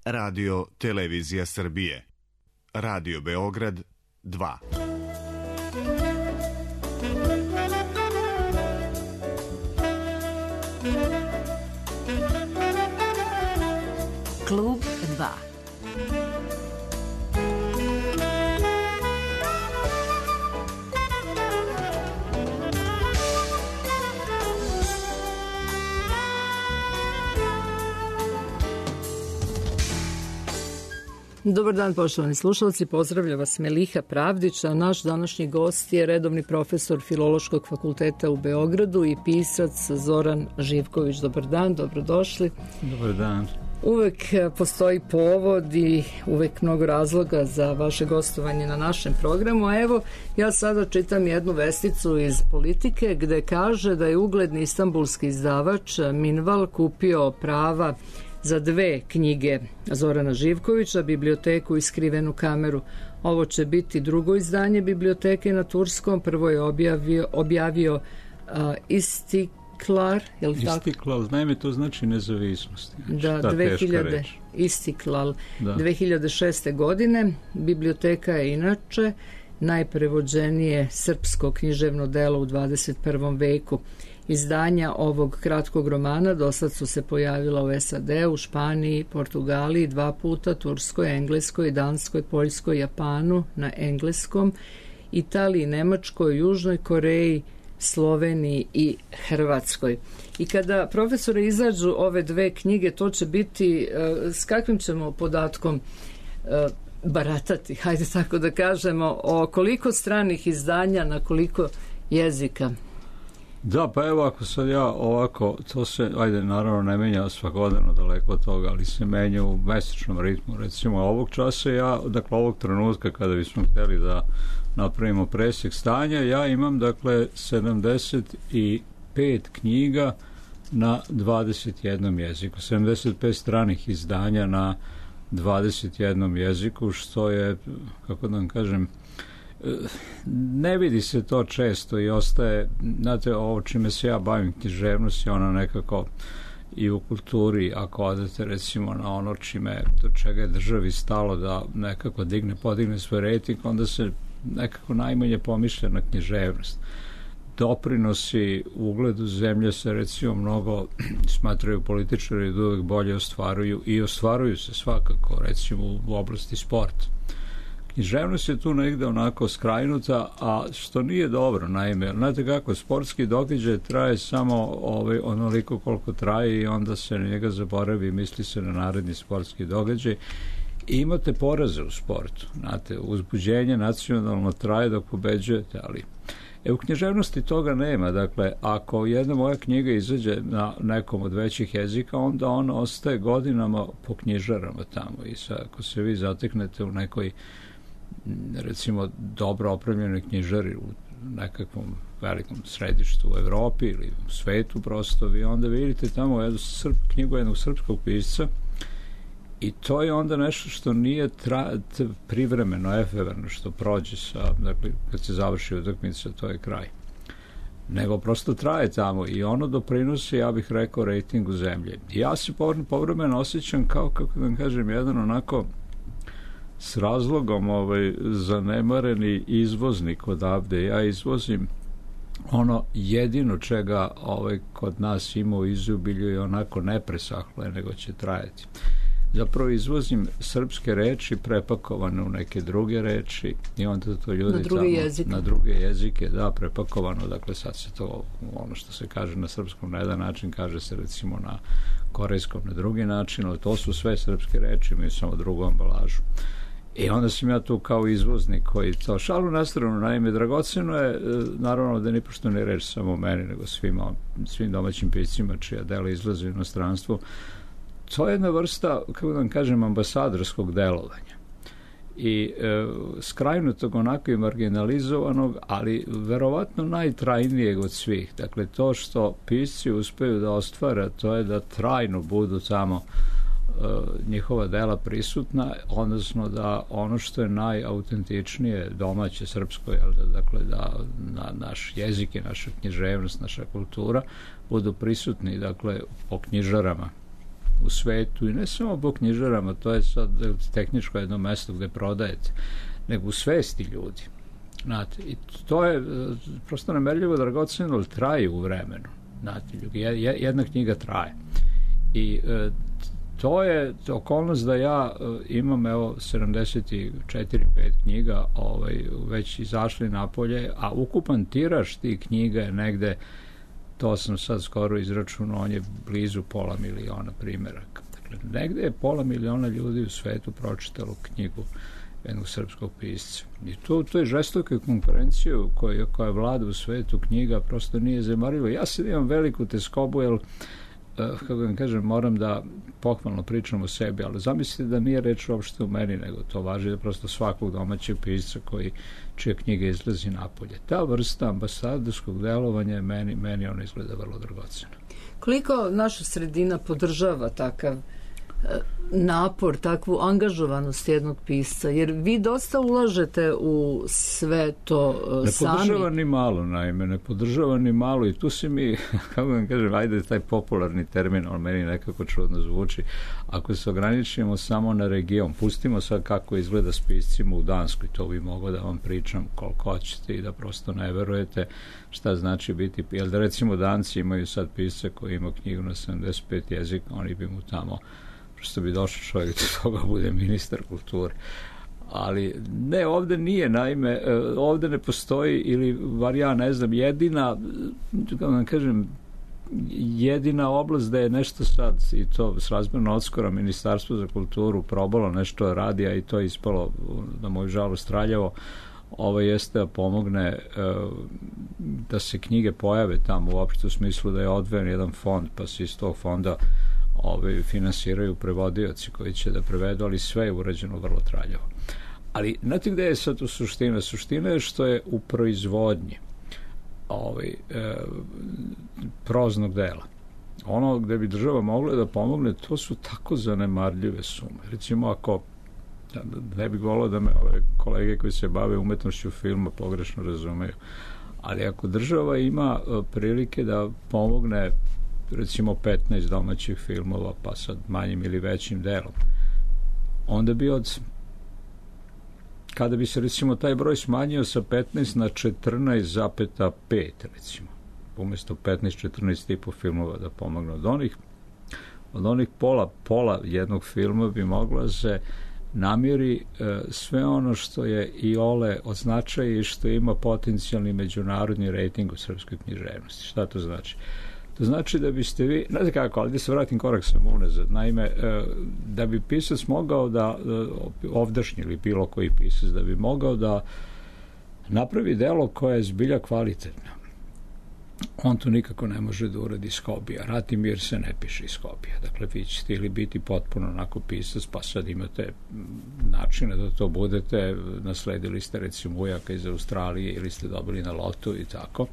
Radio Televizija Srbije. Radio Beograd 2. Klub 2. Dobar dan, poštovani slušalci, pozdravlja vas Meliha Pravdić, a naš današnji gost je redovni profesor Filološkog fakulteta u Beogradu i pisac Zoran Živković. Dobar dan, dobrodošli. Dobar dan. Uvek postoji povod i uvek mnogo razloga za vaše gostovanje na našem programu, a evo ja sada čitam jednu vesticu iz Politike gde kaže da je ugledni istanbulski izdavač Minval kupio prava za 2 knjige Zorana Živkovića, Biblioteku i Skrivenu kameru. Ovo će biti drugo izdanje Biblioteke na turskom. Prvo je objavio Istiklal, je li tako? Istiklal, naime, to znači nezavisnost. Da, 2006. godine. Biblioteka je inače najprevođenije srpsko književno delo u 21. veku. Izdanja ovog kratkog romana dosad su se pojavila u SAD-u, Španiji, Portugaliji 2 puta, Turskoj, Engleskoj, Danskoj, Poljskoj, Japanu na engleskom, Italiji, Nemačkoj, Južnoj Koreji, Sloveniji i Hrvatskoj. I kada, profesore, izađu ove 2 knjige, to će biti, s kakvim ćemo podatkom baratati, hajde tako da kažemo, o koliko stranih izdanja na koliko jezika? Da, pa evo, ako sad ja ovako, to se, ajde, naravno ne menja svakodnevno daleko od toga, ali se menja u mesečnom ritmu. Recimo, ovog časa ja, dakle, ovog trenutka kada bismo hteli da napravimo presjek stanja, ja imam, dakle, 75 knjiga na 21 jeziku, 75 stranih izdanja na 21 jeziku, što je, kako da vam kažem, ne vidi se to često i ostaje, znate, ovo čime se ja bavim, književnost je ono nekako i u kulturi, ako odete recimo na ono do čega je državi stalo da nekako podigne svoj rejting, onda se nekako najmanje pomišlja na književnost. Doprinosi ugledu zemlje se recimo mnogo smatraju političari da uvek bolje ostvaruju i ostvaruju se svakako recimo u oblasti sporta. Književnost je tu negde onako skrajnuta, a što nije dobro, naime, znate kako, sportski događaj traje samo onoliko koliko traje i onda se na njega zaboravi i misli se na naredni sportski događaj. I imate poraze u sportu, znate, uzbuđenje nacionalno traje dok pobeđujete, ali u književnosti toga nema. Dakle, ako jedna moja knjiga izađe na nekom od većih jezika, onda ona ostaje godinama po knjižarama tamo i ako se vi zateknete u nekoj recimo dobro opremljenoj knjižari u nekakvom velikom središtu u Evropi ili u svetu prosto, vi onda vidite tamo knjigu jednog srpskog pisca i to je onda nešto što nije privremeno, efemerno, što prođe dakle, kad se završi utakmica, to je kraj. Nego prosto traje tamo i ono doprinosi, ja bih rekao, rejtingu zemlje. I ja se povremeno osjećam kao, kako da vam kažem, jedan onako s razlogom zanemareni izvoznik odavde. Ja izvozim ono jedino čega kod nas ima u izobilju i onako ne presahle, nego će trajati. Zapravo izvozim srpske reči prepakovane u neke druge reči i onda to ljudi na druge jezike, da, prepakovano, dakle sad se to, ono što se kaže na srpskom na jedan način, kaže se recimo na korejskom na drugi način, ali to su sve srpske reči, imaju samo drugu ambalažu. I onda sam ja tu kao izvoznik koji to, šalu na stranu, naime, dragoceno je, naravno da nipošto ne reč samo meni, nego svim domaćim piscima čija dela izlaze u inostranstvu. To je jedna vrsta, kako da vam kažem, ambasadorskog delovanja. I skrajnutog, onako i marginalizovanog, ali verovatno najtrajnijeg od svih. Dakle, to što pisci uspeju da ostvare, to je da trajno budu tamo njihova dela prisutna, odnosno da ono što je najautentičnije domaće srpsko, dakle da naš jezik i naša književnost, naša kultura budu prisutni, dakle, po knjižarama u svetu, i ne samo po knjižarama, to je sad tehničko jedno mesto gde prodajete, nego u svesti ljudi. Znate, i to je prosto nemerljivo dragoceno, ali traje u vremenu. Znate, jedna knjiga traje. I to je okolnost da ja imam 74-5 knjiga već izašli napolje, a ukupan tiraž tih knjiga je negde, to sam sad skoro izračunao, on je blizu 500.000 primjeraka. Dakle, negde je 500.000 ljudi u svetu pročitalo knjigu jednog srpskog pisca. I to je žestoka konkurencija koja vlada u svetu knjiga, prosto nije zanemarivo. Ja sad imam veliku teskobu, jer kako vam kažem, moram da pohvalno pričam o sebi, ali zamislite da nije reč uopšte u meni, nego to važi da prosto svakog domaćeg pisca čija knjiga izlazi napolje. Ta vrsta ambasadorskog delovanja meni ona izgleda vrlo dragoceno. Koliko naša sredina podržava takav napor, takvu angažovanost jednog pisca, jer vi dosta ulažete u sve to sami. Ne podržava ni malo, naime, ne podržava ni malo, i tu se mi, kako vam kažem, ajde taj popularni termin, on meni nekako čudno zvuči, ako se ograničimo samo na region, pustimo sad kako izgleda s piscima u Danskoj, to bi mogao da vam pričam koliko hoćete i da prosto ne verujete šta znači biti, jer da recimo Danci imaju sad pisce koji ima knjigu na 75 jezika, oni bi mu tamo što bi došao čovjek do toga bude ministar kulture. Ali ne, ovde nije, naime, ovde ne postoji, ili bar ja ne znam, jedina oblast da je nešto sad, i to srazmjerno odskora, Ministarstvo za kulturu probalo nešto radi, a i to je ispalo na moju žalost traljavo, jeste da pomogne da se knjige pojave tamo, uopšte u smislu da je odvojen jedan fond, pa se iz tog fonda finansiraju prevodioci koji će da prevedu, ali sve je urađeno vrlo traljavo. Ali znate gde je sad tu suština? Suština je što je u proizvodnji proznog dela. Ono gde bi država mogla da pomogne, to su tako zanemarljive sume. Recimo, ako ne bih volao da me ove kolege koji se bave umetnošću filma pogrešno razumeju, ali ako država ima prilike da pomogne recimo 15 domaćih filmova, pa sad manjim ili većim delom, onda bi kada bi se recimo taj broj smanjio sa 15 na 14,5 recimo, umjesto 15-14 tipu filmova da pomogne od onih pola jednog filma bi moglo se namiri sve ono što je iole od značaja i što ima potencijalni međunarodni rejting u srpskoj književnosti. Šta to znači? To znači da biste vi, znate kako, ali da se vratim korak sam unazad, naime, da bi pisac mogao da, ovdašnji ili bilo koji pisac, da bi mogao da napravi delo koje je zbilja kvalitetno, on to nikako ne može da uradi iz hobija. Rat i mir se ne piše iz hobija. Dakle, vi ćete ili biti potpuno onako pisac, pa sad imate načine da to budete, nasledili ste recimo ujaka iz Australije ili ste dobili na lotu i tako.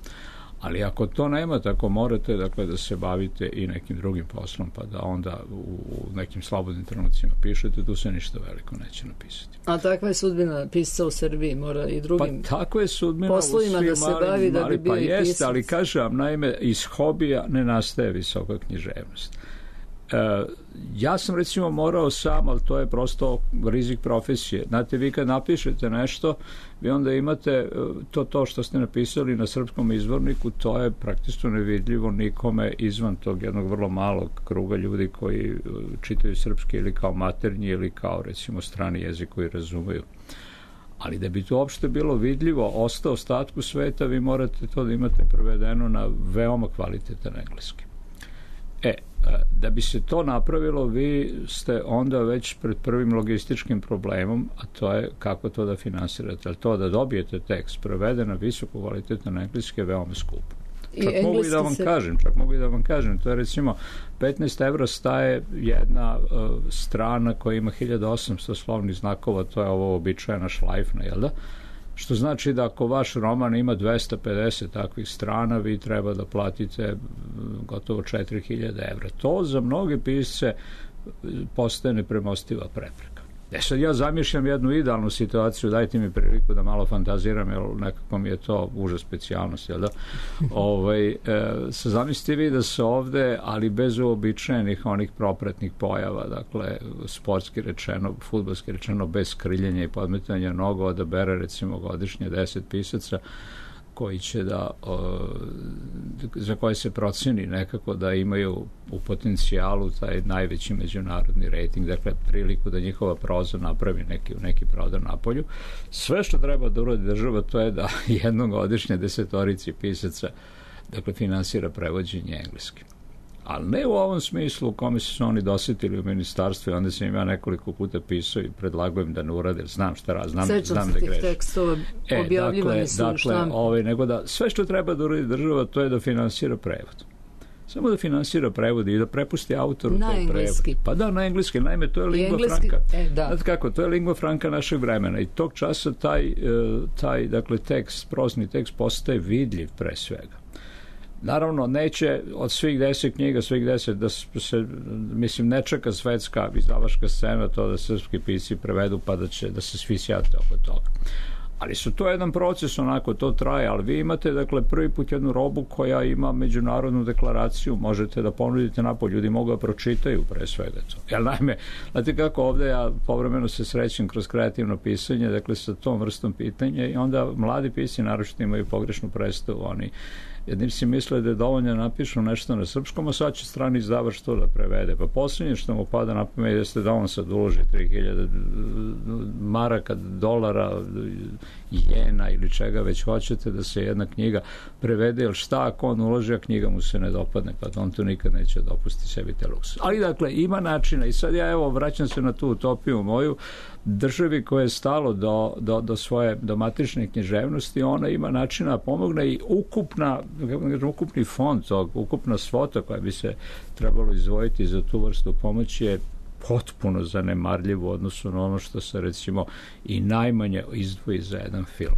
Ali ako to nemate, ako morate dakle, da se bavite i nekim drugim poslom, pa da onda u nekim slobodnim trenucima pišete, tu se ništa veliko neće napisati. A takva je sudbina pisca u Srbiji, mora i drugim pa takva je sudbina poslovima da se bavi da bi bio i pisac. Jeste, ali kažem, naime, iz hobija ne nastaje visoka književnost. Ja sam recimo morao sam, ali to je prosto rizik profesije. Znate, vi kad napišete nešto, vi onda imate to što ste napisali na srpskom izvorniku, to je praktično nevidljivo nikome izvan tog jednog vrlo malog kruga ljudi koji čitaju srpski ili kao maternji ili kao recimo strani jezik koji razumeju. Ali da bi to uopšte bilo vidljivo ostatku sveta, vi morate to da imate prevedeno na veoma kvalitetan engleski. Da bi se to napravilo, vi ste onda već pred prvim logističkim problemom, a to je kako to da finansirate. Ali to da dobijete tekst preveden na visoko kvalitetan engleski je veoma skupo. Čak mogu i da vam kažem, to je recimo 15 evra staje jedna strana koja ima 1800 slovnih znakova, to je ovo običajna šlajfna, jel da? Što znači da ako vaš roman ima 250 takvih strana, vi treba da platite gotovo 4000 evra. To za mnoge pisce postaje nepremostiva prepreka. Sad ja zamišljam jednu idealnu situaciju, dajte mi priliku da malo fantaziram, jer nekako mi je to užas specijalnost, jel da? Zamislite vi da se ovde, ali bez uobičajenih onih propratnih pojava, dakle, sportski rečeno, fudbalski rečeno, bez kriljenja i podmetanja nogu, odabere recimo godišnje 10 pisaca koji će za koje se proceni nekako da imaju u potencijalu taj najveći međunarodni rejting, dakle priliku da njihova proza napravi neki prodor napolju. Sve što treba da uradi država, to je da jednom godišnje 10 pisaca dakle finansira prevođenje engleski. Ali ne u ovom smislu u kome su oni dosetili u ministarstvu i onda sam im ja nekoliko puta pisao i predlagao im da ne urade, znam šta rad, znam da grešim. Sećam se tih tekstova, objavljivani su u štampi. Nego da sve što treba da uradi država, to je da finansira prevod. Samo da finansira prevod i da prepusti autoru na engleski. Pa da, na engleski, naime, to je lingua franca. Znate kako, to je lingua franca našeg vremena i tog časa taj dakle, tekst, prozni tekst postaje vidljiv pre svega. Naravno, neće od svih 10 knjiga, da se, mislim, ne čeka svetska izdavačka scena to da srpski pisci prevedu pa da se svi sjate oko toga. Ali su to jedan proces, onako, to traje, ali vi imate, dakle, prvi put jednu robu koja ima međunarodnu deklaraciju, možete da ponudite napolje, ljudi mogu da pročitaju pre svega to. Jer, naime, znate kako ovde ja povremeno se srećem kroz kreativno pisanje, dakle, sa tom vrstom pitanja i onda mladi pisci naročito imaju pogrešnu predstavu, oni jedni si misle da je dovoljno da napišu nešto na srpskom, a sad će strani izdavač to da prevede. Pa posljednje što mu pada na pamet jeste da on sad uloži 3000 maraka, dolara, jena ili čega već hoćete da se jedna knjiga prevede, jer šta ako on uloži, a knjiga mu se ne dopadne, pa on to nikad neće dopustiti sebi te luksus. Ali dakle, ima načina i sad ja evo vraćam se na tu utopiju moju, državi koja je stalo do svoje matične književnosti, ona ima načina da pomogne i ukupni fond tog, ukupna svota koja bi se trebalo izdvojiti za tu vrstu pomoći je potpuno zanemarljivo u odnosu na ono što se recimo i najmanje izdvoji za jedan film.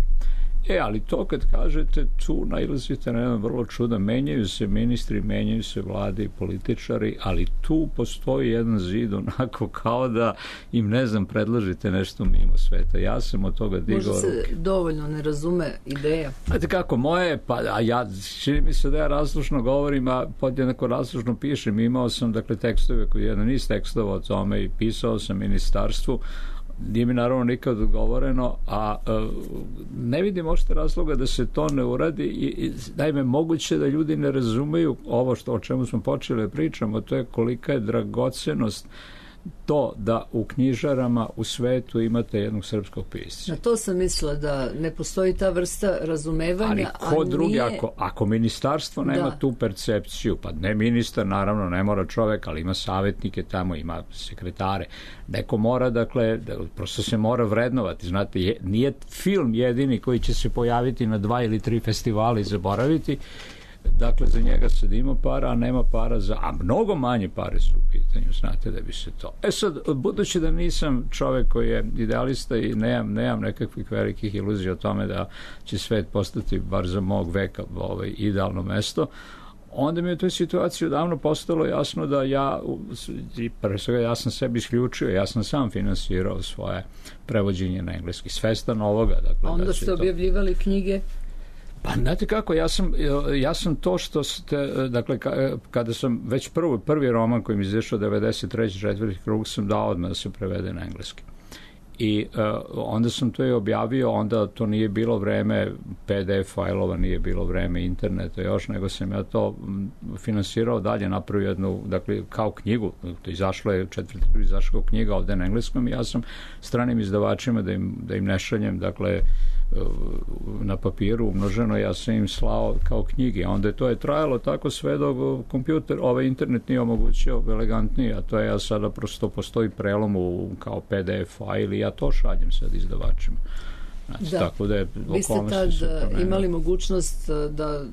Ali to kad kažete, tu nailazite na jedan vrlo čudan, menjaju se ministri, menjaju se vlade i političari, ali tu postoji jedan zid onako kao da im, ne znam, predložite nešto mimo sveta. Ja sam od toga digao ruke. Možda se dovoljno ne razume ideja. Znate kako, moje, a ja, čini mi se da ja razlučno govorim, a podjednako razlučno pišem. Imao sam, dakle, tekstove, jedan niz tekstova o tome i pisao sam ministarstvu. Nije mi naravno nikad odgovoreno, a ne vidim ošte razloga da se to ne uradi i naime, moguće da ljudi ne razumeju ovo o čemu smo počeli da pričamo, to je kolika je dragocenost to da u knjižarama u svetu imate jednog srpskog pisca. Na to sam mislila da ne postoji ta vrsta razumevanja, ali ko drugi, ako ministarstvo nema tu percepciju, pa ne ministar, naravno ne mora čovek, ali ima savjetnike tamo, ima sekretare, neko mora, dakle, prosto se mora vrednovati, znate, nije film jedini koji će se pojaviti na 2 ili 3 festivala i zaboraviti. Dakle, za njega sad ima para, a nema para a mnogo manje pare su u pitanju, znate, da bi se to. Sad, budući da nisam čovek koji je idealista i nemam nekakvih velikih iluzija o tome da će svet postati, bar za mog veka, idealno mesto, onda mi je u toj situaciji odavno postalo jasno da ja sam sebi isključio, ja sam sam finansirao svoje prevođenje na engleski, svestan ovoga. Dakle, onda ste objavljivali knjige? Pa, znate kako, ja sam to što ste, dakle, kada sam već prvi roman koji mi izašao 93. četvrti krug sam dao odmah da se prevede na engleski. I onda sam to i objavio, onda to nije bilo vreme PDF fajlova, nije bilo vreme interneta još, nego sam ja to finansirao dalje, napravio jednu, dakle, kao knjigu, to izašlo je četvrti krug, izašla knjiga ovde na engleskom i ja sam stranim izdavačima da im ne šaljem, dakle, na papiru umnoženo, ja sam im slao kao knjige, onda to je trajalo tako sve dok internet nije omogućio elegantnije, a to je ja sada prosto postoji prelom kao PDF fajl i ja to šaljem sad izdavačima. Znači, da, tako da je, vi ste tad imali mogućnost da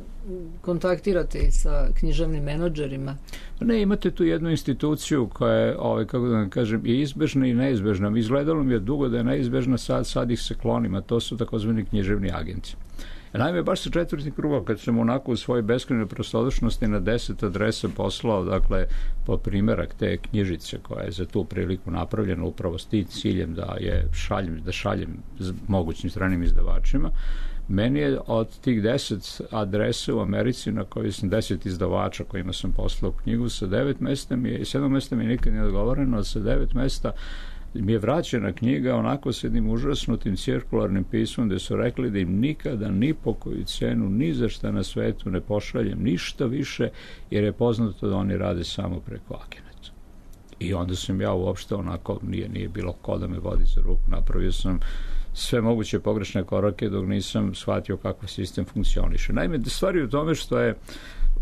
kontaktirate i sa književnim menadžerima? Ne, imate tu jednu instituciju koja je, kako da vam kažem, i izbežna i neizbežna. Izgledalo mi je dugo da je neizbežna, sad ih se klonim, a to su takozvani književni agenti. Naime, baš sa 4. kruga, kad sam onako u svojoj beskrajnoj prostodušnosti na 10 adresa poslao, dakle, po primjerak te knjižice koja je za tu priliku napravljena upravo s tim ciljem da šaljem mogućim stranim izdavačima, meni je od tih 10 adresa u Americi na kojoj sam 10 izdavača kojima sam poslao knjigu sa 7 mesta mi nikad nije odgovoreno, a sa 9 mesta mi je vraćena knjiga onako s jednim užasnutim cirkularnim pismom gde su rekli da im nikada ni po koju cenu ni za šta na svetu ne pošaljem ništa više jer je poznato da oni rade samo preko agenata. I onda sam ja uopšte onako, nije bilo ko da me vodi za ruku, napravio sam sve moguće pogrešne korake dok nisam shvatio kako sistem funkcioniše. Naime, stvar je u tome što je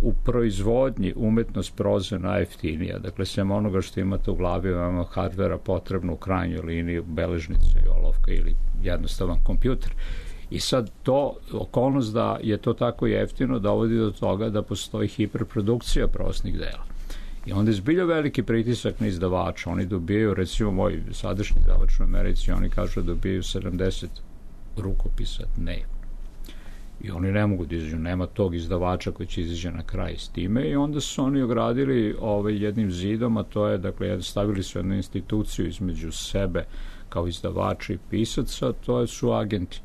u proizvodnji umetnost proze najjeftinija. Dakle, sem onoga što imate u glavi, imamo hardvera potrebno u krajnjoj liniji, beležnica i olovka ili jednostavan kompjuter. I sad to, okolnost da je to tako jeftino, dovodi do toga da postoji hiperprodukcija prosnih dela. I onda je zbilja veliki pritisak na izdavača. Oni dobijaju, recimo moj sadašnji izdavač u Americi, oni kažu da dobijaju 70 rukopisa dnevno. I oni ne mogu da izađu, nema tog izdavača koji će izađe na kraj s time i onda su oni ogradili jednim zidom, a to je, dakle, stavili su jednu instituciju između sebe kao izdavača i pisaca, to su agenti.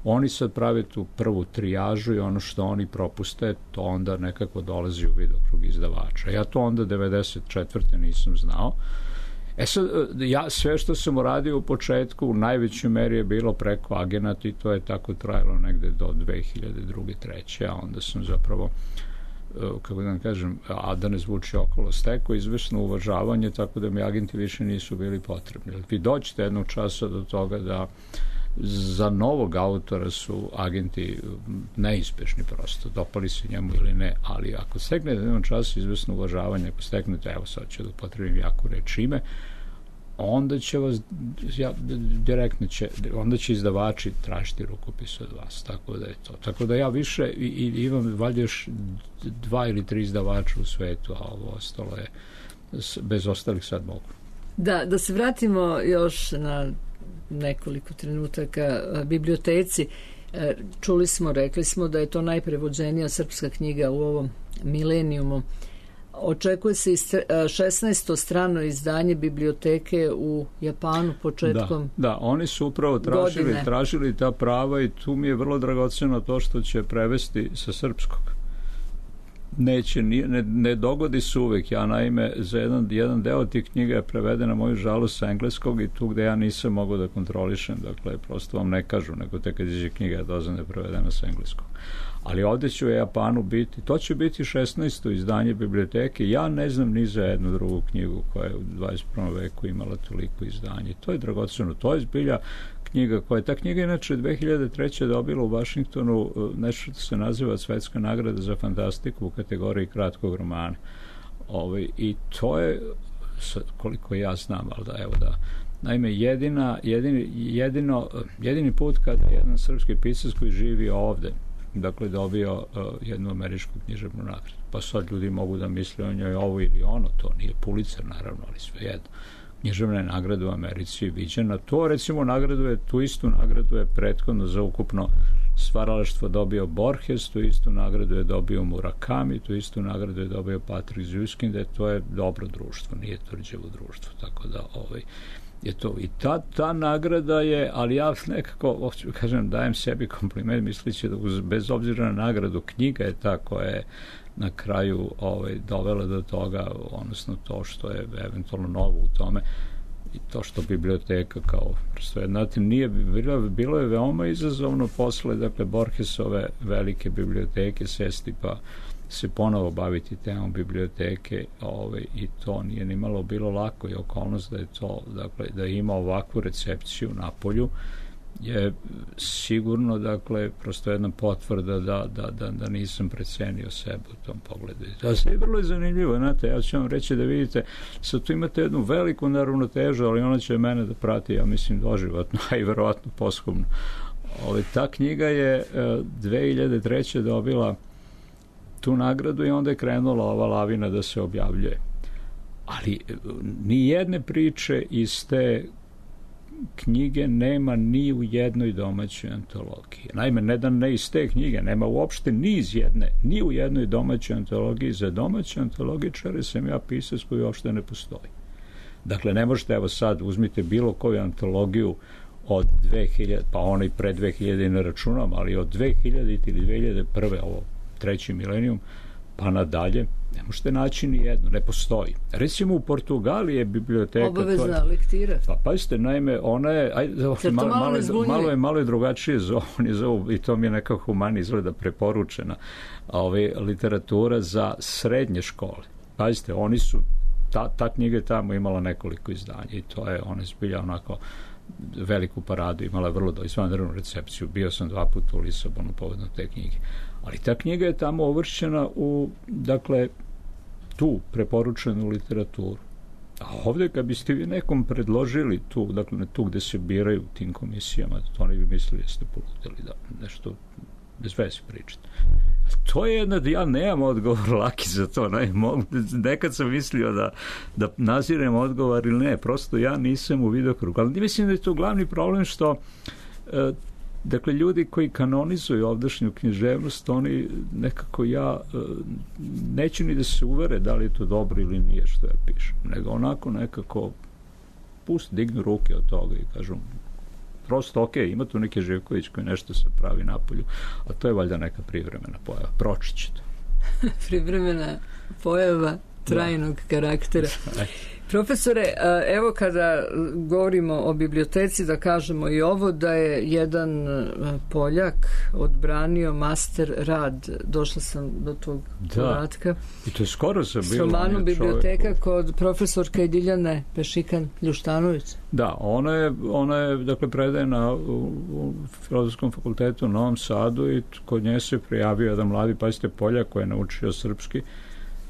Oni sad prave tu prvu trijažu i ono što oni propuste, to onda nekako dolazi u vidokrug izdavača. Ja to onda 94. nisam znao. Sad, ja sve što sam uradio u početku u najvećoj meri je bilo preko agenata i to je tako trajalo negde do 2002. 2003. A onda sam zapravo, kako da vam kažem, a da ne zvuči okolo, stekao izvesno uvažavanje, tako da mi agenti više nisu bili potrebni. Vi dođete jednog časa do toga da za novog autora su agenti neispešni prosto, dopali se njemu ili ne, ali ako steknete jednom času izvesno uvažavanje, ako steknete, evo sad ću da upotrebim jaku reč ime, onda će vas direktno onda će izdavači tražiti rukopis od vas, tako da je to. Tako da ja više i imam valjda još 2 ili 3 izdavača u svetu, a ovo ostalo je bez ostalih sad mogu. Da se vratimo još na nekoliko trenutaka biblioteci. Rekli smo da je to najprevođenija srpska knjiga u ovom milenijumu. Očekuje se 16. strano izdanje biblioteke u Japanu početkom Da, oni su upravo tražili ta prava i tu mi je vrlo dragoceno to što će prevesti sa srpskog. Ne dogodi se uvek. Ja naime za jedan deo tih knjiga je preveden na moju žalost sa engleskog i tu gde ja nisam mogao da kontrolišem, dakle prosto vam ne kažu, nego tek kad iđe knjiga je dozvan da je prevedena sa engleskog. Ali ovde će u Japanu biti, to će biti 16. izdanje biblioteke. Ja ne znam ni za jednu drugu knjigu koja je u 21. veku imala toliko izdanje. To je dragoceno, to je zbilja knjiga koja, ta knjiga inače 2003. dobila u Vašingtonu nešto se naziva Svetska nagrada za fantastiku u kategoriji kratkog romana. I to je, koliko ja znam, ali naime, jedini put kada jedan srpski pisac koji živi ovde, dakle, dobio jednu američku književnu nagradu. Pa sad ljudi mogu da misle o njoj ovo ili ono, to nije Pulitzer, naravno, ali svejedno. Književna je nagrada u Americi viđena. To, recimo, tu istu nagradu je prethodno za ukupno stvaralaštvo dobio Borges, tu istu nagradu je dobio Murakami, tu istu nagradu je dobio Patrick Züskind, to je dobro društvo, nije tvrđevo društvo, tako da je to. I ta nagrada je, ali ja nekako, kažem, dajem sebi kompliment misleći da bez obzira na nagradu, knjiga je ta koja je na kraju dovela do toga, odnosno to što je eventualno novo u tome i to što biblioteka kao prosto, znate, bilo je veoma izazovno posle, dakle, Borgesove velike biblioteke sesti pa se ponovo baviti temom biblioteke i to nije nimalo bilo lako i okolnost da je to, dakle, da ima ovakvu recepciju na polju je sigurno, dakle, prosto jedna potvrda da nisam precenio sebe u tom pogledu. To je vrlo zanimljivo, znate, ja ću vam reći da vidite, sad tu imate jednu veliku neravnotežu, ali ona će mene da prati, ja mislim, doživotno, a i verovatno posthumno. Ta knjiga je 2003. dobila tu nagradu i onda je krenula ova lavina da se objavljuje. Ali ni jedne priče iz te knjige nema ni u jednoj domaćoj antologiji. Naime, ne iz te knjige, nema uopšte ni u jednoj domaćoj antologiji. Za domaće antologičare sam ja pisac koji uopšte ne postoji. Dakle, ne možete, evo sad, uzmite bilo koju antologiju od 2000, pa onaj pre 2000 ne računam, ali od 2000 ili 2001. ovo treći milenijum, pa nadalje, ne možete naći ni jednu, ne postoji. Recimo u Portugaliji je biblioteka... Obavezna lektira. Pa pazite, naime, ona je... malo je drugačije zovu, i to mi je nekako humani izgleda preporučena, literatura za srednje škole. Pazite, oni su... Ta knjiga je tamo imala nekoliko izdanja i to je, ona je zbilja onako veliku paradu, imala je vrlo izvanrednu recepciju. Bio sam 2 puta u Lisabonu povodom te knjige. Ali ta knjiga je tamo uvršćena u, dakle, tu preporučenu literaturu. A ovdje kad biste vi nekom predložili tu, dakle, tu gde se biraju tim komisijama, to oni bi mislili jeste poludeli, da nešto bez veze pričati. To je ja nemam odgovor laki za to. Nekad sam mislio da nazirem odgovor ili ne, prosto ja nisam u vidokrugu. Ali mislim da je to glavni problem što dakle, ljudi koji kanonizuju ovdašnju književnost, oni nekako neću ni da se uvere da li je to dobro ili nije što ja pišem, nego onako nekako dignu ruke od toga i kažu prosto, ima tu neki Živković koji nešto se pravi napolju, a to je valjda neka privremena pojava. Proći će to. Privremena pojava trajnog karaktera. Profesore, evo kada govorimo o biblioteci, da kažemo i ovo, da je jedan Poljak odbranio master rad, došla sam do tog podatka. I to je skoro se bilo. S romanom biblioteka kod profesorke Diljane Pešikan-Ljuštanović. Da, ona je dakle, predajena u Filozofskom fakultetu u Novom Sadu i kod nje se prijavio jedan mladi, pazite, Poljak koji je naučio srpski,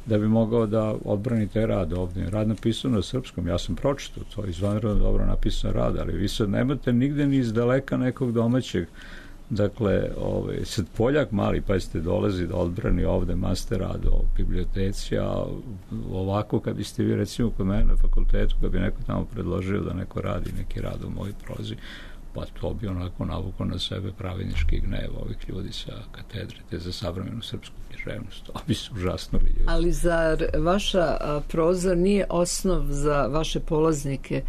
da bi mogao da odbrani te rad ovdje. Rad napisan na srpskom, ja sam pročitao, to je izvanredno dobro napisan rad, ali vi sad nemate nigde ni iz daleka nekog domaćeg. Dakle, sad Poljak mali, pazite, dolazi da odbrani ovde master rad o biblioteci, a ovako kad biste vi recimo kod mene na fakultetu, kad bi neko tamo predložio da neko radi neki rad u mojoj prozi, pa to bi onako navukao na sebe pravednički gnev ovih ljudi sa katedre te za savremenu srpsku književnost. To bi se užasno vidjeli. Ali zar vaša proza nije osnov za vaše polaznike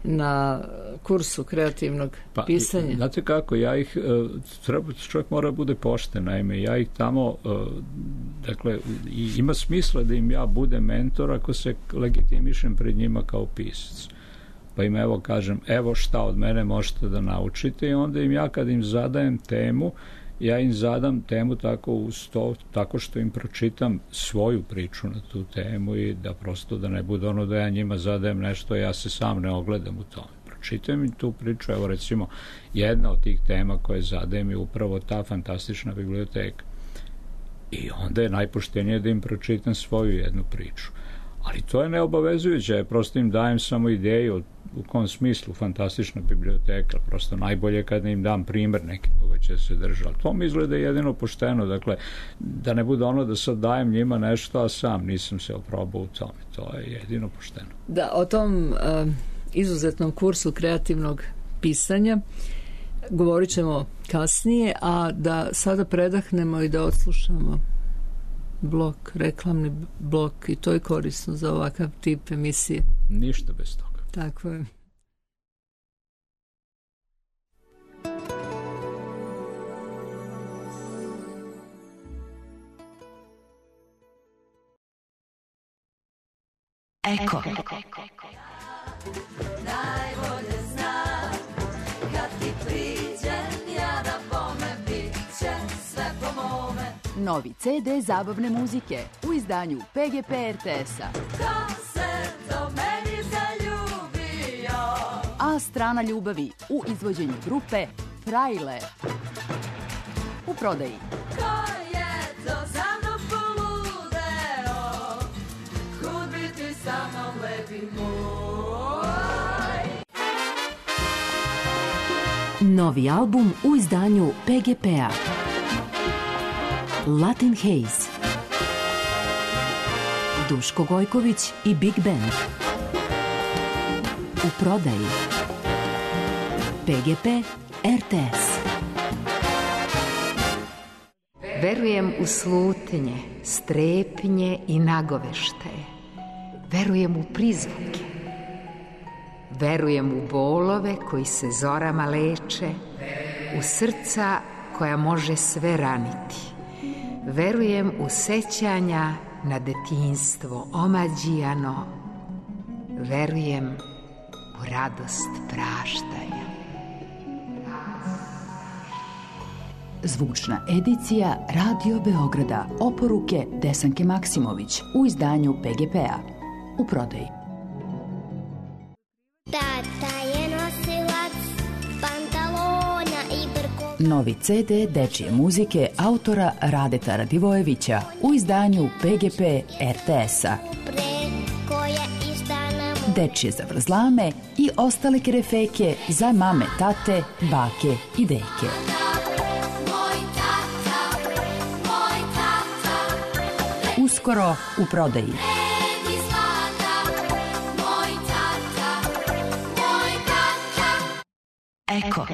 na kursu kreativnog pisanja? Znate kako, ja ih čovjek mora bude pošten, naime, ja ih tamo dakle, ima smisla da im ja budem mentor ako se legitimišem pred njima kao pisac. Pa im evo kažem, evo šta od mene možete da naučite i onda im ja kad im zadajem temu, ja im zadam temu tako što im pročitam svoju priču na tu temu i da prosto da ne bude ono da ja njima zadajem nešto, ja se sam ne ogledam u tome. Pročitam im tu priču, evo recimo jedna od tih tema koje zadajem je upravo ta fantastična biblioteka. I onda je najpoštenije da im pročitam svoju jednu priču. Ali to je neobavezujuće, ja prosto im dajem samo ideju u kom smislu fantastična biblioteka, prosto najbolje kada im dam primer neki koga će se držati. Ali to mi izgleda jedino pošteno, dakle, da ne bude ono da sad dajem njima nešto, a sam nisam se oprobao u tome. To je jedino pošteno. Da, o tom izuzetnom kursu kreativnog pisanja govorit ćemo kasnije, a da sada predahnemo i da odslušamo reklamni blok, i to je korisno za ovakav tip emisije. Ništa bez toga. Tako je. Eko. Najbolje znam kad ti priđem, ja na bome bit će sve po mome. Novi CD zabavne muzike u izdanju PGP RTS-a. Ko se do meni zaljubio? A strana ljubavi u izvođenju grupe Frajle. U prodaji. Ko je to za mnom poludeo? Kud bi ti sa mnom lepi moj? Novi album u izdanju PGP-a. Latin Haze. Duško Gojković i Big Band. U prodaji. PGP RTS. Verujem u slutnje, strepnje i nagoveštaje. Verujem u prizvuke. Verujem u bolove koji se zorama leče, u srca koja može sve raniti. Verujem u sećanja na detinjstvo omađijano. Verujem u radost praštanja. Zvučna edicija Radio Beograda. Oporuke Desanke Maksimović u izdanju PGP-a. U prodaji. Tata je nosilac pantalona i brko. Novi CD dečije muzike autora Radeta Radivojevića u izdanju PGP RTS-a. Preko je izdana mu. Dečije zavrzlame i ostale kerefeke za mame, tate, bake i deke. Uskoro u prodaji. Eko.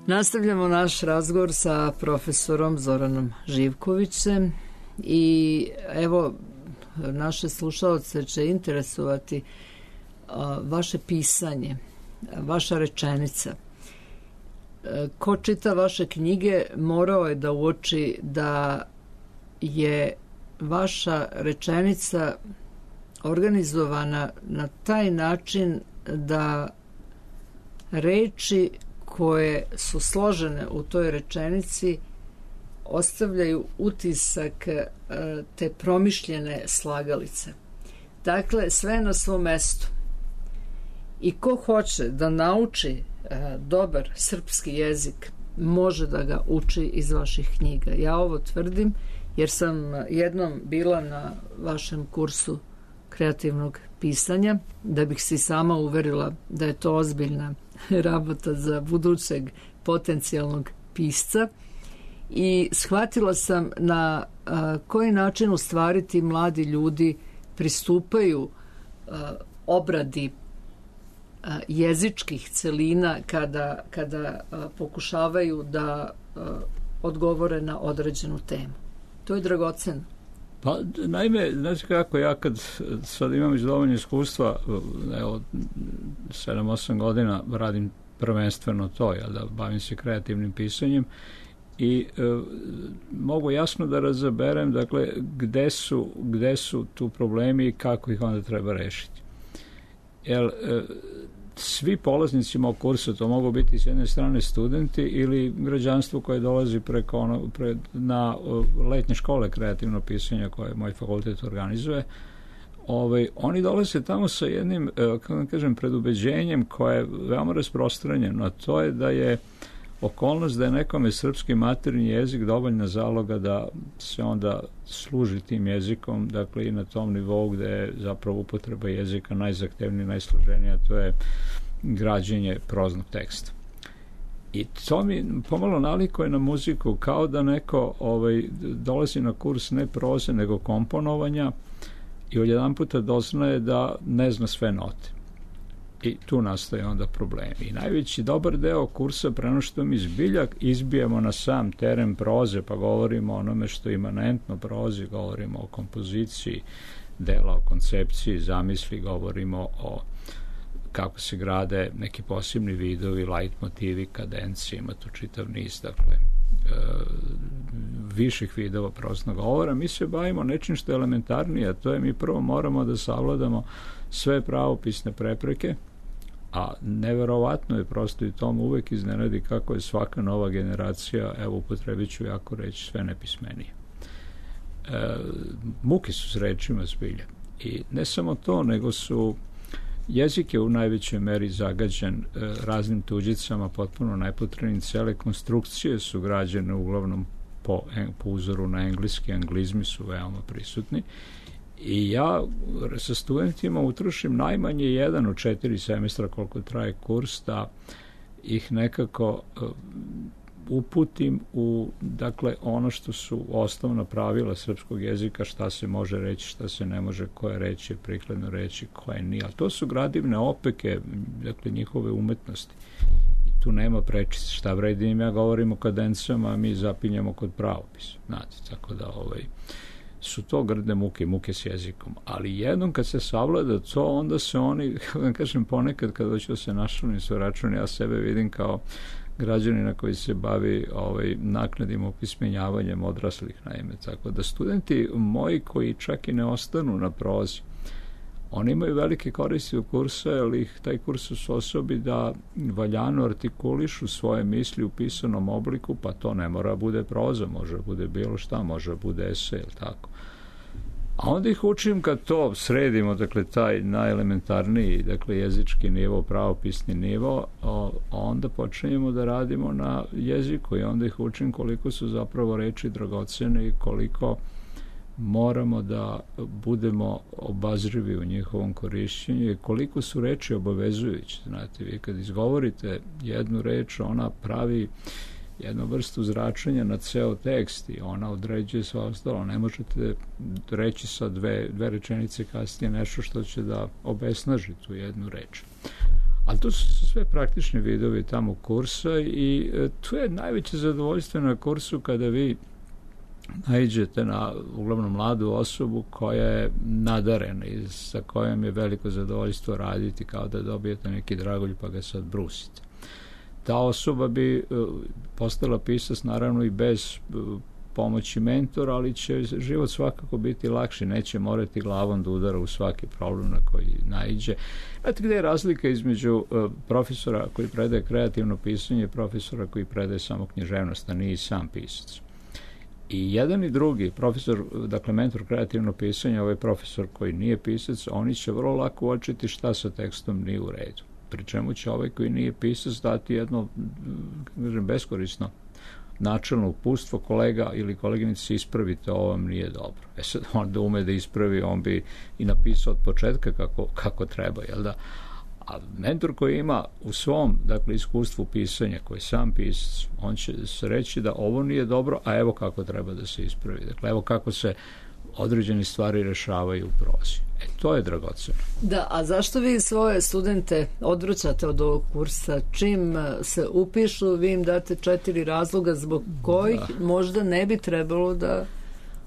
Nastavljamo naš razgovor sa profesorom Zoranom Živkovićem i evo, naše slušaoce će interesovati vaše pisanje, vaša rečenica. Ko čita vaše knjige morao je da uoči da je vaša rečenica organizovana na taj način da reči koje su složene u toj rečenici ostavljaju utisak te promišljene slagalice. Dakle, sve na svom mestu. I ko hoće da nauči dobar srpski jezik, može da ga uči iz vaših knjiga. Ja ovo tvrdim jer sam jednom bila na vašem kursu kreativnog pisanja, da bih se sama uverila da je to ozbiljna rabota za budućeg potencijalnog pisca, i shvatila sam na koji način u stvari ti mladi ljudi pristupaju obradi jezičkih celina kada pokušavaju da odgovore na određenu temu. To je dragoceno. Pa, naime, znači kako, ja kad sad imam već dovoljno iskustva, evo, 7-8 godina radim prvenstveno to, da bavim se kreativnim pisanjem i mogu jasno da razaberem, dakle, gde su tu problemi i kako ih onda treba rešiti. Jer svi polaznici mog kursa, to mogu biti s jedne strane studenti ili građanstvo koje dolazi na letnje škole kreativno pisanja koje moj fakultet organizuje, oni dolaze tamo sa jednim, kako da kažem, predubeđenjem koje je veoma rasprostranjeno, a to je da je okolnost da je nekome srpski maternji jezik dovoljna zaloga da se onda služi tim jezikom, dakle i na tom nivou gde je zapravo upotreba jezika najzahtevnija, najsloženija, to je građenje proznog teksta. I to mi pomalo nalikuje na muziku, kao da neko dolazi na kurs ne proze, nego komponovanja i odjedan puta doznaje da ne zna sve note. I tu nastaje onda problemi. I najveći dobar deo kursa, preno što mi zbiljak izbijemo na sam teren proze, pa govorimo o onome što je imanentno prozi, govorimo o kompoziciji dela, o koncepciji, zamisli, govorimo o kako se grade neki posebni vidovi, light motivi, kadencije, ima tu čitav niz, dakle, viših vidova proznog govora. Mi se bavimo nečim što je elementarnije, a to je mi prvo moramo da savladamo sve pravopisne prepreke, a neverovatno je prosto i tom uvek iznenadi kako je svaka nova generacija, evo upotrebit ću jako reći, sve nepismenije. Muke su s rečima zbilja. I ne samo to, nego su jezik je u najvećoj meri zagađen raznim tuđicama, potpuno nepotrebnim. Cele konstrukcije su građene uglavnom po uzoru na engleski, anglizmi su veoma prisutni. I ja sa studentima utrošim najmanje 1 od 4 semestra koliko traje kurs, da ih nekako uputim u, dakle, ono što su osnovna pravila srpskog jezika, šta se može reći, šta se ne može, koje reći je prikladno reći, koje nije. Ali to su gradivne opeke, dakle, njihove umetnosti. I tu nema prečice. Šta vredi im ja govorim o kadencijama, a mi zapinjamo kod pravopisa. Znate, tako da su to grdne muke s jezikom. Ali jednom kad se savlada to, onda se oni, da kažem, ponekad kad hoću da se našalim svoj račun, ja sebe vidim kao građanina koji se bavi naknadnim opismenjavanjem odraslih, naime. Tako da studenti moji koji čak i ne ostanu na prozi, oni imaju velike koristi u kursa, jer ih taj kurs osposobi da valjano artikulišu svoje misli u pisanom obliku, pa to ne mora bude proza, može bude bilo šta, može bude esej, ili tako. A onda ih učim kad to sredimo, dakle, taj najelementarniji, dakle, jezički nivo, pravopisni nivo, onda počinjemo da radimo na jeziku i onda ih učim koliko su zapravo reči dragocene i koliko moramo da budemo obazrivi u njihovom korišćenju i koliko su reči obavezujući. Znate, vi kad izgovorite jednu reč, ona pravi jednu vrstu zračenja na ceo tekst i ona određuje sve ostalo. Ne možete reći sa dve rečenice kasnije nešto što će da obesnaži tu jednu reč. Ali to su sve praktični vidovi tamo kursa i tu je najveće zadovoljstvo na kursu kada vi naiđete na uglavnom mladu osobu koja je nadarena i sa kojom je veliko zadovoljstvo raditi, kao da dobijete neki dragulj pa ga sad brusite. Ta osoba bi postala pisac naravno i bez pomoći mentora, ali će život svakako biti lakši, neće morati glavom da udara u svaki problem na koji naiđe. Znate gde je razlika između profesora koji predaje kreativno pisanje i profesora koji predaje samo književnost, a nije i sam pisac. I jedan i drugi profesor, dakle mentor kreativno pisanje, ovaj profesor koji nije pisac, oni će vrlo lako uočiti šta sa tekstom nije u redu. Pri čemu će ovaj koji nije pisac dati jedno, kažem, beskorisno načelno uputstvo, kolega ili koleginici, ispravite, ovo vam nije dobro. Sad on da ume da ispravi, on bi i napisao od početka kako treba, jel da? A mentor koji ima u svom, dakle, iskustvu pisanja, koji je sam pisac, on će se reći da ovo nije dobro, a evo kako treba da se ispravi. Dakle, evo kako se određene stvari rešavaju u prozi. To je dragoceno. Da, a zašto vi svoje studente odvraćate od ovog kursa? Čim se upišu, vi im date 4 razloga zbog kojih možda ne bi trebalo da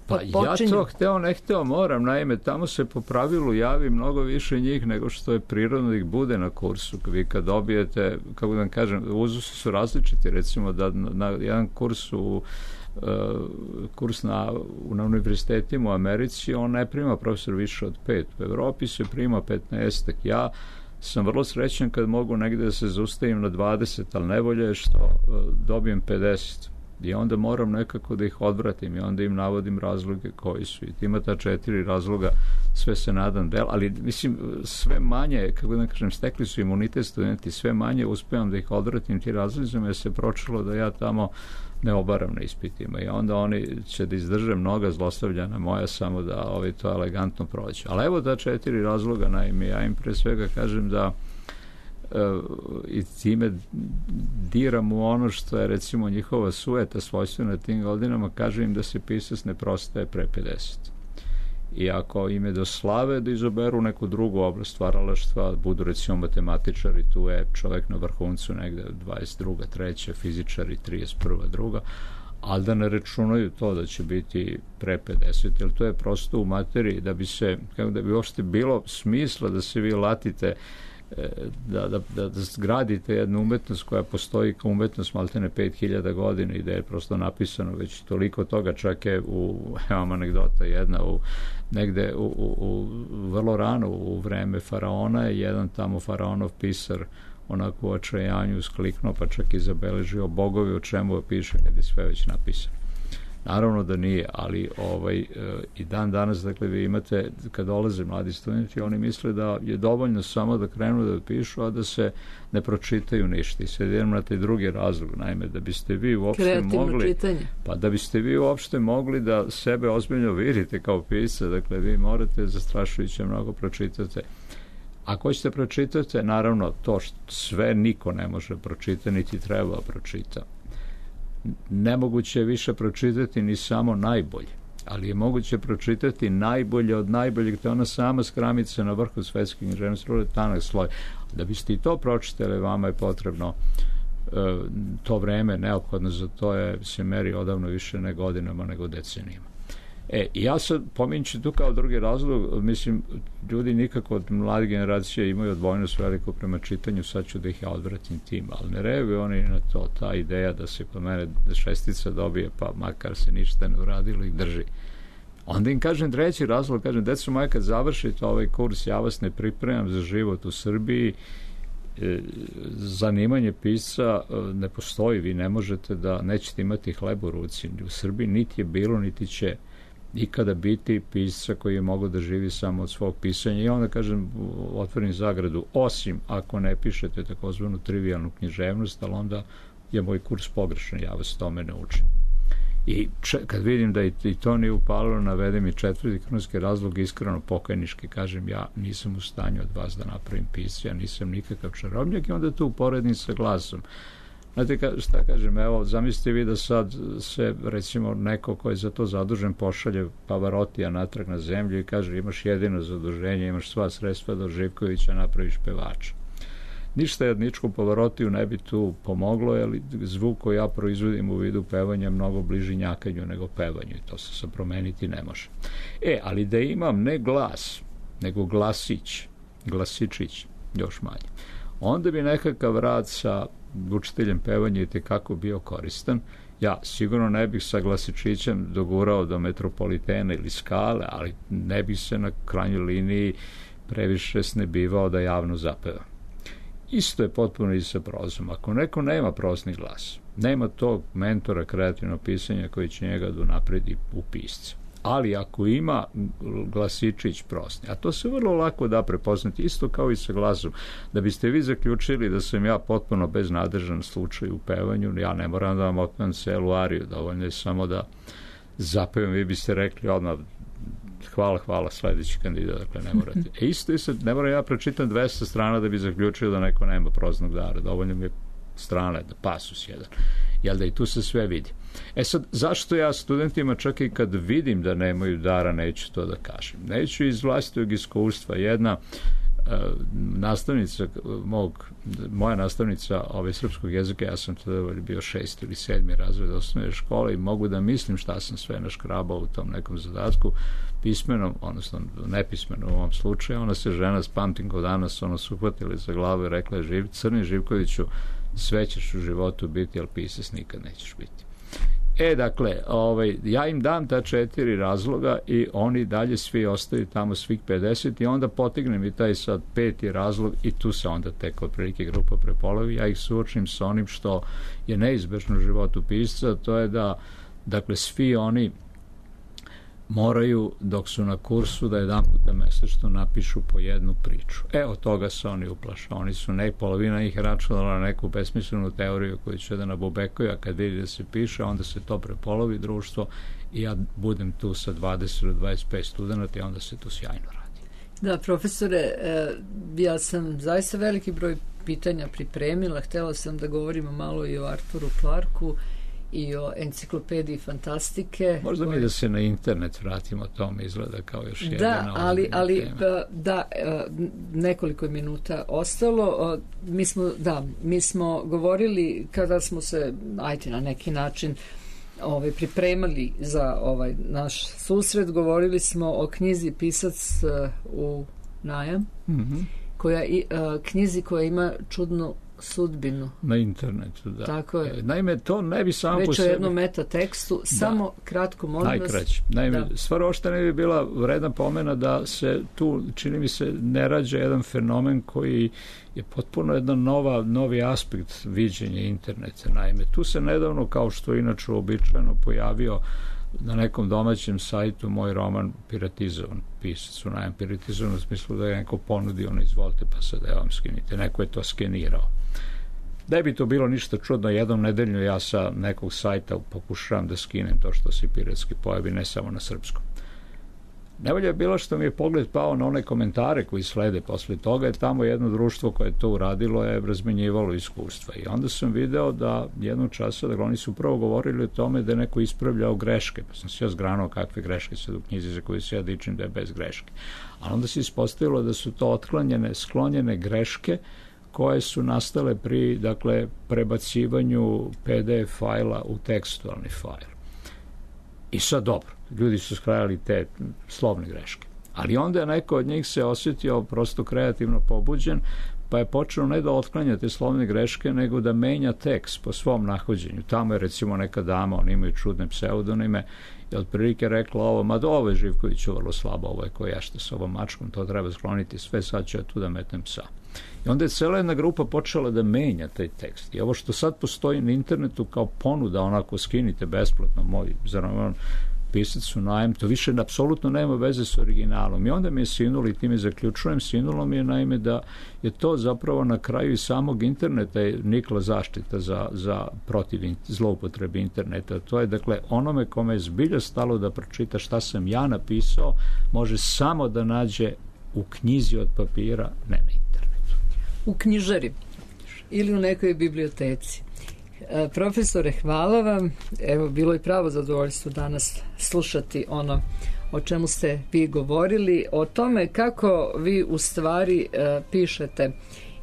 počinju? Ja to hteo, ne hteo, moram. Naime, tamo se po pravilu javi mnogo više njih nego što je prirodno da ih bude na kursu. Vi kad dobijete, kako da vam kažem, uzusi su različiti. Recimo da na jedan kurs na univerzitetima u Americi, on ne prima profesor više od 5. U Evropi se prima 15. Ja sam vrlo srećan kad mogu negde da se zaustavim na 20, ali najbolje je što dobijem 50. I onda moram nekako da ih odvratim i onda im navodim razloge koji su. I ima ta 4 razloga, sve se nadam del, ali mislim sve manje, kako da kažem, stekli su imunitet studenti, sve manje uspevam da ih odvratim ti razlozima, jer se pročilo da ja tamo ne obaram na ispitima i onda oni će da izdrže mnoga zlostavljana moja samo da to elegantno prođe. Ali evo da 4 razloga, naime, ja im pre svega kažem da i time diram u ono što je recimo njihova sujeta svojstvena tim godinama, kažem im da se pisac ne prostaje pre 50. I ako im je do slave da izaberu neku drugu oblast stvaralaštva, budu recimo matematičari, tu je čovek na vrhuncu negde 22. 3. fizičari 31. 2. ali da ne računaju to da će biti pre 50, jer to je prosto u materiji da bi se, kako da bi uopšte bilo smisla da se vi latite da zgradite jednu umetnost koja postoji kao umetnost maltene 5000 godina i da je prosto napisano već toliko toga, čak je evo anegdota jedna, negde vrlo rano u vreme faraona je jedan tamo faraonov pisar onako u očajanju uskliknuo, pa čak i zabeležio bogovi o čemu piše kad je sve već napisano. Naravno da nije, ali i dan danas, dakle, vi imate, kad dolaze mladi studenti, oni misle da je dovoljno samo da krenu da pišu, a da se ne pročitaju ništa. I sad idemo na taj drugi razlog, naime, da biste vi uopšte mogli, da biste vi uopšte mogli da sebe ozbiljno vidite kao pisca, dakle, vi morate zastrašujuće mnogo pročitate. Ako hoćete pročitate, naravno, to što sve niko ne može pročitati, niti treba pročita. Nemoguće je više pročitati ni samo najbolje, ali je moguće pročitati najbolje od najboljeg, to je ona sama skramica na vrhu svetske književnosti, tanak sloj. Da biste i to pročitali, vama je potrebno to vreme, neophodno za to se meri odavno više ne godinama nego decenijama. I ja sad pominjući tu kao drugi razlog, mislim, ljudi nikako od mlade generacije imaju odbojnost veliko prema čitanju, sad ću da ih ja odvratim tim, ali ne reaguju oni na to, ta ideja da se kod mene 6 dobije, pa makar se ništa ne uradilo ih drži. Onda im kažem treći razlog, kažem, deco moje, kad završite ovaj kurs, ja vas ne pripremam za život u Srbiji, zanimanje pisca ne postoji, vi ne možete da nećete imati hleb u ruci. U Srbiji niti je bilo, niti će ikada biti pisca koji je mogao da živi samo od svog pisanja. I onda, kažem, otvorim zagradu, osim ako ne pišete takozvanu trivijalnu književnost, ali onda je moj kurs pogrešan, ja vas tome ne učim. I kad vidim da i to nije upalilo, navedem i 4. krunski razlog, iskreno pokajnički, kažem, ja nisam u stanju od vas da napravim pisca, ja nisam nikakav čarobnjak, i onda tu uporedim sa glasom. Znate šta kažem, evo, zamislite vi da sad se, recimo, neko ko je za to zadužen pošalje Pavarotija natrag na zemlju i kaže, imaš jedino zaduženje, imaš sva sredstva do Živkovića, napraviš pevača. Ništa jedničko Pavarotiju ne bi tu pomoglo, jer zvuk koji ja proizvodim u vidu pevanja je mnogo bliži njakanju nego pevanju i to se promeniti ne može. Ali da imam ne glas, nego glasić, glasičić, još manje. Onda bi nekakav rad sa učiteljem pevanja i tekako bio koristan. Ja sigurno ne bih sa glasičićem dogurao do Metropolitena ili Skale, ali ne bih se na krajnjoj liniji previše snebivao da javno zapeva. Isto je potpuno i sa prozom. Ako neko nema prozni glas, nema tog mentora kreativnog pisanja koji će njega da unapredi u pisca. Ali ako ima glasičić prosni, a to se vrlo lako da prepoznati, isto kao i sa glasom, da biste vi zaključili da sam ja potpuno beznadržan slučaj u pevanju, ja ne moram da vam otpevam celu ariju, dovoljno je samo da zapevam, vi biste rekli odmah hvala, sledeći kandidat, dakle ne morate. Isto je sad, ne moram ja pročitam 200 strana da bi zaključio da neko nema proznog dara, dovoljno mi je strana, da pasus jedan, jel da i tu se sve vidi. Sad, zašto ja studentima čak i kad vidim da nemaju dara neću to da kažem? Neću iz vlastitog iskustva. Jedna nastavnica moja nastavnica srpskog jezika, ja sam tada bio 6. ili 7. razred osnovne škole i mogu da mislim šta sam sve naškrabao u tom nekom zadatku pismenom, odnosno nepismenom u ovom slučaju. Ona se žena, pamtim ko danas, su uhvatili za glavu i rekla je, Crni Živkoviću, sve ćeš u životu biti, ali pisac nikad nećeš biti. Dakle, ja im dam ta 4 razloga i oni dalje svi ostaju tamo, svih 50, i onda potignem i taj sad 5. razlog i tu se onda tek otprilike grupa prepolovi. Ja ih suočim sa onim što je neizbežno u životu pisca, to je da, dakle, svi oni moraju, dok su na kursu, da jedan puta mesečno napišu po jednu priču. Od toga se oni uplaše. Oni su polovina ih računala na neku besmislenu teoriju koju će da nabubekaju, a kad vidi da se piše, onda se to prepolovi društvo i ja budem tu sa 20 do 25 studenta i onda se to sjajno radi. Da, profesore, ja sam zaista veliki broj pitanja pripremila. Htela sam da govorimo malo i o Arturu Clarku i o enciklopediji fantastike. Možda mi da se na internet vratimo, to mi izgleda kao još jedna nekoliko minuta ostalo. Mi smo govorili kada smo se, na neki način pripremali za naš susret, govorili smo o knjizi Pisac u najam, knjizi koja ima čudnu sudbinu. Na internetu, da. Tako je. Naime, to ne bi samo po sebi... Već o jednom metatekstu, samo kratko, molim vas. Najkraće. Naime, stvar ošte ne bi bila vredna pomena da se tu, čini mi se, ne rađa jedan fenomen koji je potpuno jedan novi aspekt viđenja interneta. Naime, tu se nedavno, kao što inače uobičajeno, pojavio na nekom domaćem sajtu moj roman piratizovan, Pisac u najam, piratizovan u smislu da je neko ponudio, izvolite pa sad vam skinite, neko je to skenirao. Da bi to bilo ništa čudno, jednom nedeljno ja sa nekog sajta pokušavam da skinem to što se piratski pojavi, ne samo na srpskom. Najbolje je bilo što mi je pogled pao na one komentare koji slede posle toga, je tamo jedno društvo koje je to uradilo je razmenjivalo iskustva i onda sam video da jednog časa, da oni su prvo govorili o tome da je neko ispravljao greške, pa sam se ja zgranuo kakve greške sad u knjizi za koju se ja dičim da je bez greške. A onda se ispostavilo da su to sklonjene greške koje su nastale pri, dakle, prebacivanju PDF fajla u tekstualni fajl. I sad dobro, ljudi su skrajali te slovne greške. Ali onda je neko od njih se osjetio prosto kreativno pobuđen, pa je počeo ne da otklanja te slovne greške, nego da menja tekst po svom nahođenju. Tamo je recimo neka dama, oni imaju čudne pseudonime, i otprilike rekla ovo je Živkoviću vrlo slabo, ovo je koja što sa ovom mačkom, to treba skloniti sve, sad ću ja tu da metnem psa. I onda je cela jedna grupa počela da menja taj tekst. I ovo što sad postoji na internetu kao ponuda, onako skinite besplatno moj roman Pisac u najam, to više apsolutno nema veze s originalom. I onda mi je sinulo, i time zaključujem, sinulo mi je naime da je to zapravo na kraju i samog interneta je nikla zaštita za protiv zloupotrebe interneta. To je, dakle, onome kome je zbilja stalo da pročita šta sam ja napisao, može samo da nađe u knjizi od papira, ne na internetu. U knjižari ili u nekoj biblioteci. Profesore, hvala vam. Evo, bilo je pravo zadovoljstvo danas slušati ono o čemu ste vi govorili, o tome kako vi u stvari pišete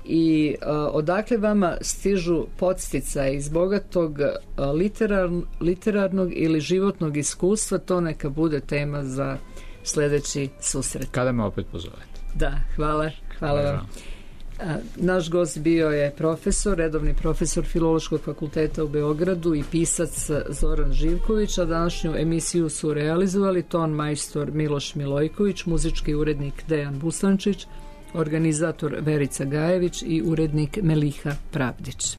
i odakle vama stižu podsticaje iz bogatog literarnog ili životnog iskustva, to neka bude tema za sljedeći susret. Kada me opet pozovete. Da, hvala vam. Naš gost bio je redovni profesor Filološkog fakulteta u Beogradu i pisac Zoran Živković, a današnju emisiju su realizovali ton majstor Miloš Milojković, muzički urednik Dejan Busančić, organizator Verica Gajević i urednik Meliha Pravdić.